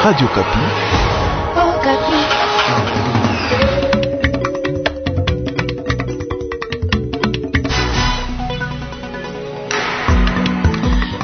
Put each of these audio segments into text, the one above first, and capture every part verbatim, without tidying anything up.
Radio Okapi. Oh, Okapi.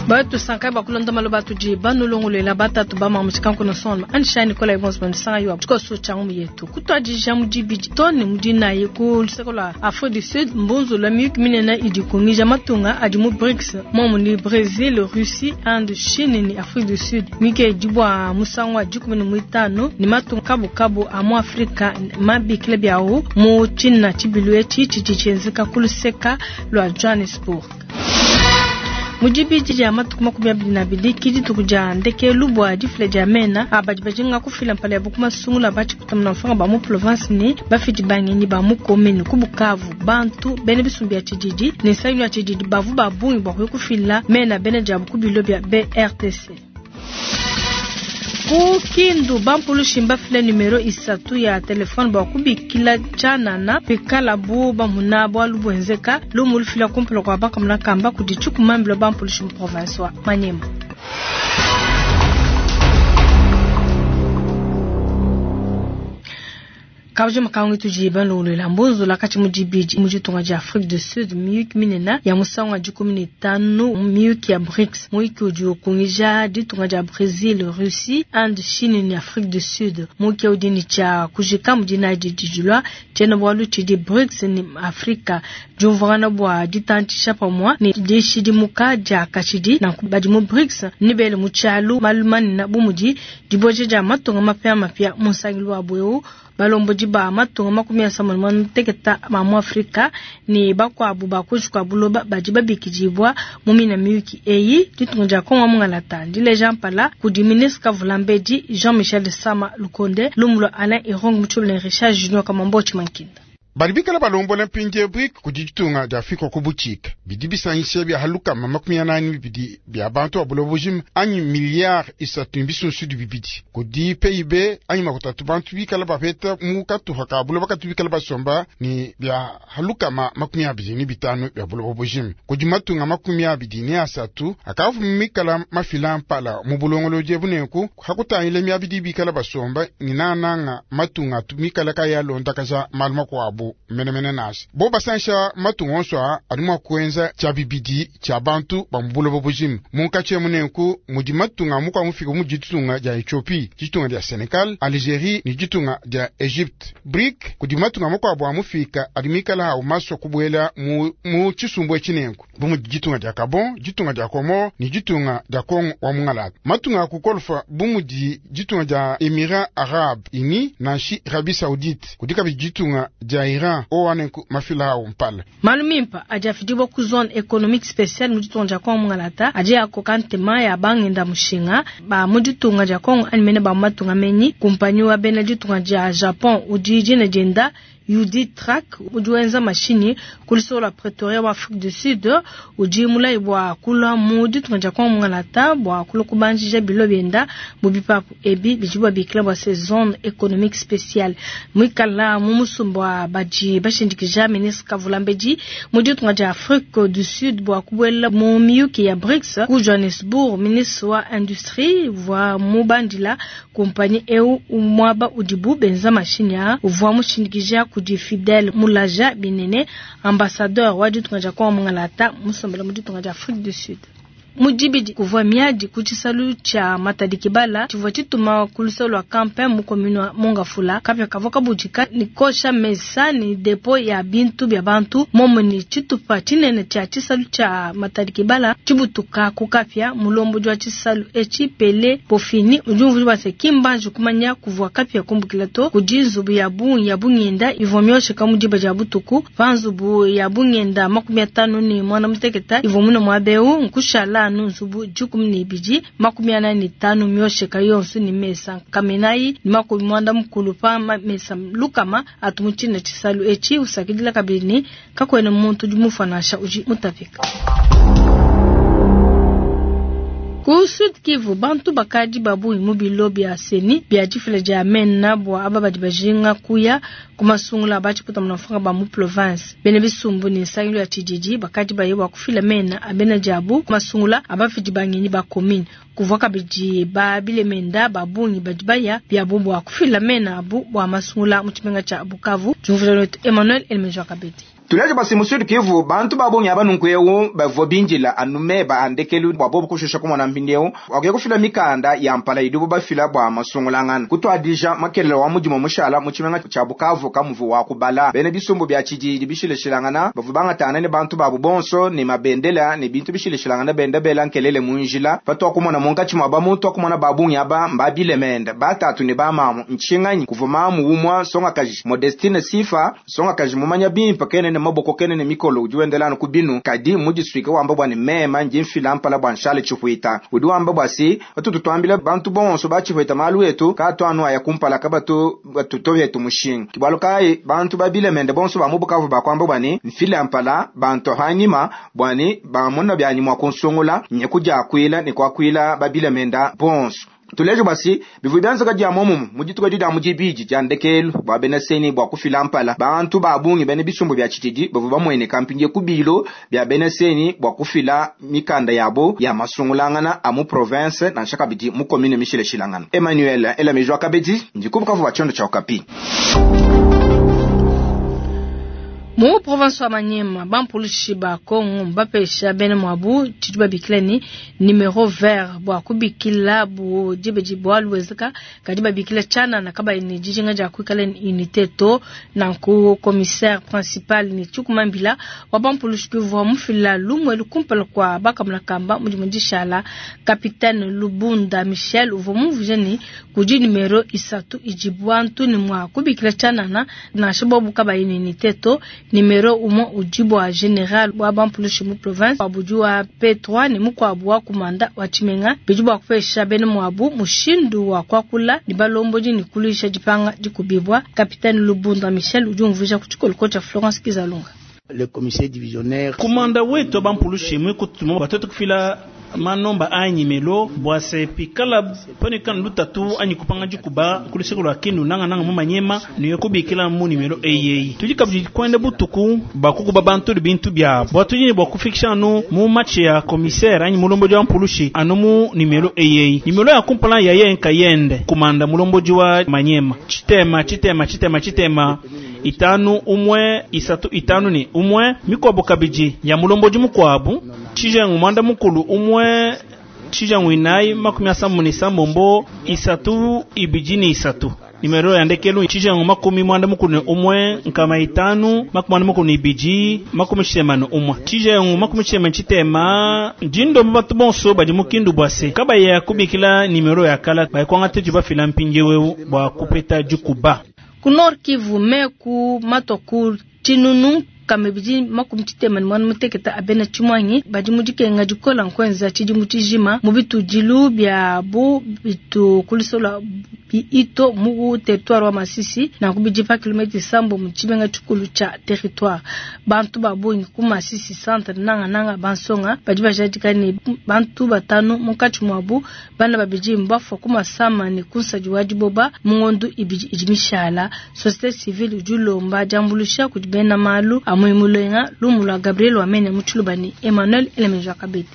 Batusanka bakulonda maloba tudi banolongolola batatu bamamutshikanku sonma anishani nikola ibonso bandisanga yo tshikoso tsha ngumu yetu kutwadija mudibidi to ne mudinayi ku luseko lua Afrique du Sud mbunzu lwa miyuki minene idi kungija matunga adi mu BRICS momu ni Brésil, Russie, Inde, Chine ni Afrique du Sud miyuki edi bua musangu wa dikumi ne muitanu ni matunga kabukabu a mu Afrika mabikila biawu mu tshina tshibilu etshi tshidi tshienzeka ku luseka lua Johannesburg. Mudibidi dia matuku makumi abidi na abidi ki dituku dia ndekelu bua difila dia mena abadi bajinga kufila mpala yabu ku masungula batshikutamuna mfanga ba mu province ni bafidi bangenyi ba mu commune ku Bukavu bantu bene bisumbu bia tshididi ne nsangilu ya tshididi bavu ba bungi bua kuya kufila mena bene diabu ku bilo bia B R T C. Ku Kindu bampulushi mbafile numero isatu ya telefone bua kubikila tshianana pikalabu bamuna bualu buenzeka lumu lufila kumpala kua bakamuna kamba kudi tshikumambila bampulushi mu province wa Maniema. Kabji makangu tudi balongolola mbunzula kati mudibidi mu ditunga dia Afrique du Sud miyuki minene ya musangu wa dikumi ne tanu miyuki ya BRICS muyuki udi ukungija ditunga dia Brésil, Russie, Inde, Chine ne Afrique du Sud muyuki udi ne tshia kujika mu dinayi didi dilua tshiena-bualu tshidi BRICS ne Afrika diumvuangana bua ditantshisha pamue ne dishidimuka dia kashidi nanku badi mu BRICS ne bele mu tshialu malu manene bu mudi dibueja dia matunga mapiamapia mu nsangilu wabu eu balombodi ba matunga makumi asambombo ne muanda ma mu Afrika ne bakuabu ba kuinshi kua buloba badi babikidibwa mu mina miyuki eyi ditunga dia Kongo mungalata ndileja mpala kudi ministre Kavulambedi Jean-Michel Sama Lukonde lumu lua Alain Irong Mutshobole Richard Junior Kamambo Tshimankinda. Badi bikala balombola mpindie BRIC kudi ditunga dia Afrika ku butshika bidi bisangisha bia halukama makumi anani bibidi bia bantu ba buloba bujima anyi miliyari isatu ne bisunsudi bibidi kudi P I B anyi makutatu bantu bikala bapeta mu katupa ka buloba katu bikala basomba ne bia halukama makumi abidi ne bitanu bia buloba bujima kudi matunga makumi abidi ne asatu akavu mikala mafila mpala mu bulongolodi bunenku hakutangile miabidi bikala basomba ne nananga matunga atu mikala kayalondakaja malu makuabu menemene nasi bo basansha matunga onso a adi mua kuenza tshia bibidi tshia bantu ba mu buloba bujima munkatshi munenku mudi matunga mukua mufika mu ditunga dia Ethiopie, ditunga dia Senegal, Algerie ne ditunga dia Egypte. BRIC kudi matunga makuabu a mufika adi mikala awu masua kubuela mu, mu tshisumbu etshi nenku bu mudi ditunga dia Gabon, ditunga dia Comore ne ditunga dia Congo wa mungalata. Matunga a kukolfa bu mudi ditunga dia Emirats Arabes Unis nanshi Arabie Saoudite kudi kabidi ditunga dia Iran owanenku mafila awu mpala. Malu mimpa adi afidibwa ku zone économique spéciale mu ditunga dia Kongo mungalata adi akoka ntema ya bangenda mushinga ba mu ditunga dia Kongo anyi mene ba mu matunga menyi kumpanyi wa bena ditunga dia Japon udi dina dienda Yudi Track udi wenza mashini ku lusoko lua Pretoria wa Afrique du Sud udi mulayi bua kulua mu ditunga dia Kongo mungalata bua kulua kubanjija bilo bienda mu bipapu ebi bidi babikila bua se zone économique spéciale muikala mu musumba wa badi bashindikija ministre Kavulambedi mu ditunga dia Afrique du Sud bua kubuela mu miyuki ya BRICS ku Johannesburg ministre wa industrie uvua mubandila kumpanyi eu muaba udibu benza mashini a uvua mushindikija kudi Fidel Mulaja Binene ambassadeur wa ditunga dia Kongo mungalata musombela mu ditunga dia Afrique du Sud. Mudibidi kuvua miadi ku tshisalu tshia Matadi Kibala tshivua tshituma ku lusolo lua Campin mu commune wa Mongafula kapia kavua kabudika ni kosha mesa ni depo ya bintu bia bantu momo ni tshitupa tshinene tshia tshisalu tshia Matadi Kibala tshibutuka ku kapia mulombodi wa tshisalu etshi Pele Pofini udi umvuija bua se kimbanji kumanya kuvua kapia kumbukila to kudi nzubu ya bungi ya bungenda ivua miosheka mu diba dia butuku pa nzubu ya bungenda makumi atanu ne mwana muteketa ivua muna muaba eu nkushala anu nzubu dikumi ne ibidi makumi anayi ne tanu miosheka yonso ne mesa kamenayi ne makumi muanda mukulu pa mesa lukama atu mu tshina tshisalu etshi usakidila kabidi ne kakuena muntu udi mufa nansha udi mutapika. Ku Sud Kivu, bantu bakadi babungi mu bilo bia seni bia difila dia mena bua aba badi bajinga kuya ku masungula batshiputa munafanga ba mu province. Bena bisumbu ne nsangilu ya tshididi bakadi baye bua kufila mena abena diabu ku masungula abafidi bangenyi ba commune. Kuvua kabidi ba bilemenda babungi badi baya biabu bua kufila mena abu bua masungula mu tshimenga tshia Bukavu. Jumvula wetu Emmanuel Elmejo Kabedi. Tuleje basi mu Sud Kivu bantu babungi aba nunku bavua bindila anu meba andekelu bua bobu kushusha kumona mpindieu wakuya kufila mikanda ya mpala idibo bafila bua masungulangana kutwadija makelele wa mudimu mushala mu tshimenga tshia Bukavu kamuvu wa kubala bene bisumbu bya tshididi bishileshilangana bavua bangatana ne bantu babu bonso ne mabendela ne bintu bishileshilangana benda bela nkelele mu njila patwa kumona munkatshi mwa bamuntu akumona babungi aba mbabilemenda batatu ne bamamu nshinganyi kuva mamu umwa songakaji Modestine Sifa songakaji mumanya bimpa kene ne maboko kene ne mikolo udi wendelana ku binu kadi mudiswike wamba bwa ne mema nji mfila mpala bwa nshale tshihuita udi wamba bwa si batutu twambila bantu bonso batshihuita malu etu katwanu aya kumpala kabatu batutovetu mushinga kibwalu kayi bantu babilemende bonso ba mu Bukavu bakwamba bwa ne mfila mpala bantu hanyima bwa ne bamona byanyi mwa kunsungula nye kujakwila ne kwakwila babilemenda bonso. Tulejo basi bivu byanza kadi amomumu mudituka dida mujibiji jandekelu bwa bena seni bwa kufila mpala bantu babungi bene bisumbu bya tshitidi bavu bamwene kampinge kubilo bya bena seni bwa kufila mikanda yabo ya masungulangana amu province na nshakabidi mu commune mishileshilangana. Emmanuel Elamejwa Kabedi ndikubukavu bachondo cha Okapi. Mu province wa Maniema bampulushi ba Kongo bapesha bene mwabu tshidi babikila ni numero vert bua kubikila bu dibeji bua luwezeka kadi babikila chana na kaba ni dijinga dia kuikala ni unité to nanku commissaire principal ni Tshukumambila wa bampulushi kuvua mufila lumwe lukumpala kwa bakamula kamba mudimu dishala capitaine Lubunda Michel uvua muvuje ni kudi numero isatu ijibu ni mwa kubikila chana na na shababu kaba ni unité to numero umwe ujibu wa general wa bampulushi mu province wabuju wa P trois ni mukwabu wa kumanda wa Chimenga bijibu wa kupesha bene mwabu mushindu wa kwakula ni balomboji ni kulisha jipanga jikubibwa. Capitaine Lubunda Michel ujumvusha kuchikolo cha Florence Kizalunga. Le commissaire divisionnaire kumanda wetu bampulushi mwikutuma batoto kufila manomba anyi melo bwase pikala panikana lutatu anyi kupanga jikuba kuliseko lwa kindu nanga nanga mu Manyema niyo kubikila mu nimero eyeyi tudi kabidi kwenda butuku bakukuba bantu bintu bya bwatujini bwa kufikisha anu mu match ya commissaire anyi mulomboji wa mpulushi anu mu nimero eyeyi nimero ya kumpala ya yenka yende kumanda mulomboji wa Manyema chitema chitema chitema chitema itanu umwe isatu itanu ni umwe mikwabo kabiji ya mulomboji mukwabu chijengu mwanda mukulu umwe chijangu inai makumi asambu ni sambombo isatu ibiji ni isatu nimero ya ndekelu chijangu makumi mwanda mukulu ni umwe nkama itanu makumi mwanda mukulu ni ibiji makumi chitema ni umwe chijangu makumi chitema chitema jindo batu bonso badi mukindu bwase kaba ya kubikila nimero ya kala bayikwanga tetu bafila mpinje wewu bwa kupeta jukuba ku Nord Kivu meku matoku chinunu kamebidi makumi tshitema ni mwana muteketa abena tshimwanyi badi mudikenga dikola nkwenza tshidi mutshijima mu bitudilu bya bu bitu kulisola ito mu territoire wa Masisi na kubidi pa kilomètre sambo mu tshimenga tshikulu tsha territoire bantu babungi ku Masisi centre nanga nanga bansonga badi bajadika ni bantu batanu munkatshi mwabu bana babidi mbafwa ku masama ni kunsadi wa diboba mungondu ibidi idimishala société civile udi diambulusha kudi bena malu amuimulenga lumula Gabriel Wamene mutshulubani Emmanuel Elemeja Kabedi.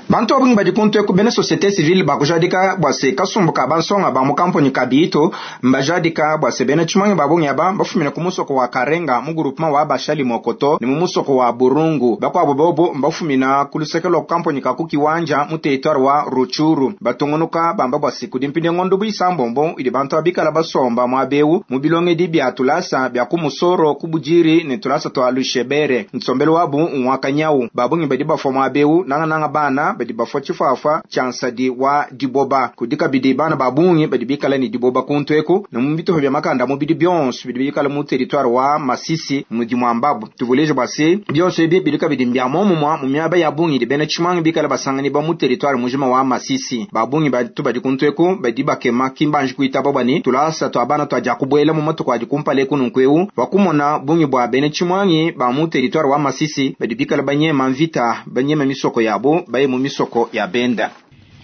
Bantu abungi badi kuntu ku bene société civile bakujadika bwase kasumbuka bansonga ba mu kampuni kabito mbajadika bwase bene tshimanyi babungi aba bafumina ku musoko wa Karenga mu groupement wa Bashali Mokoto ni mu musoko wa Burungu bakwabo bobo mbafumina ku lusekelo ku kampuni ka ku Kiwanja mu territoire wa Ruchuru batungunuka bamba bwase kudi mpinde ngondo buisambombo idi bantu abikala basomba mwa beu mu bilonge di bya tulasa bya ku musoro ku bujiri ni tulasa twa Lushebere nsombelo wabu nwakanyau babungi badi bafo mwa beu nanga nanga bana badi bafo tshifafa tshansadi wa diboba kudika bidi bana babungi badi bikala ni diboba kuntweku na mu bituho bya makanda mu bidi byonso bidi bikala mu territoire wa Masisi mudi mwambabu tuvuleje basi byonso ebi bidika bidi mbya momumwa mu myaba ya bungi di bena tshimangi bikala basangani ba mu territoire mujima wa Masisi babungi batu badi kuntweku badi bakema kimbanji kuitaba bani tulasa twa bana twa jakubwela mu matuku adi kumpale kununkweu wakumona bungi bwa bena tshimangi ba mu territoire wa Masisi badi bikala banyema mvita banyema misoko yabo baye mu misoko ya benda.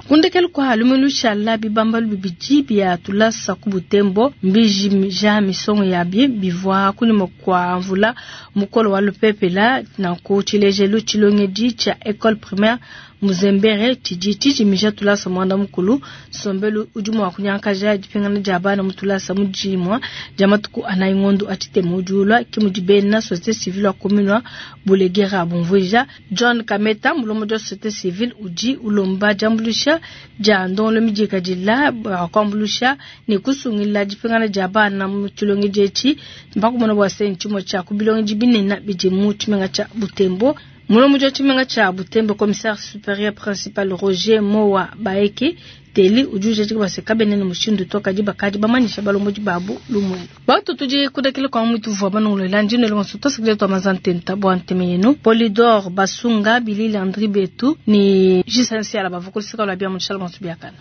Kundekelu kwa lumelu shala bibambalu bibidi bya tulasa ku Butembo mbijimija misongo yabi bivwa kunyuma kwa mvula mukolo wa lupepela na ku tshilejelu tshilongedi tsha école primaire Muzembere tshidi tshijimija tulasa mwanda mukulu sombelu udi mua kunyankaja dipingana dia bana mu tulasa mu dimua dia matuku anayi ngondo atshitema udiulwa ke mudi bena société civile wa commune wa Bulegera bumvuija John Kameta mulombodi wa société civile udi ulomba diambuluisha dia ndongolo midikadila bakuambuluisha ne kusungila dipingana dia bana mu tshilongedi etshi mbakumona bua se ntshimue tshia ku bilongedi binene bidi mu tshimenga tshia Butembo. Mulombodi wa tshimenga tshia Butembo commissaire supérieur principal Roger Mowa Baeke Teli udi ujadika bua se kabena ne mushindu to kadi bakadi bamanyisha balombodi babu lumuenu. Batu tudi kudakila kwa mutu vua banongolola ndino lonso tosikile twa mazantenta bua nteme yenu Polydor Basunga Bilili Andri Betu ni Jisensiala bavukulisika lwa bia mu tshala bonso biakana.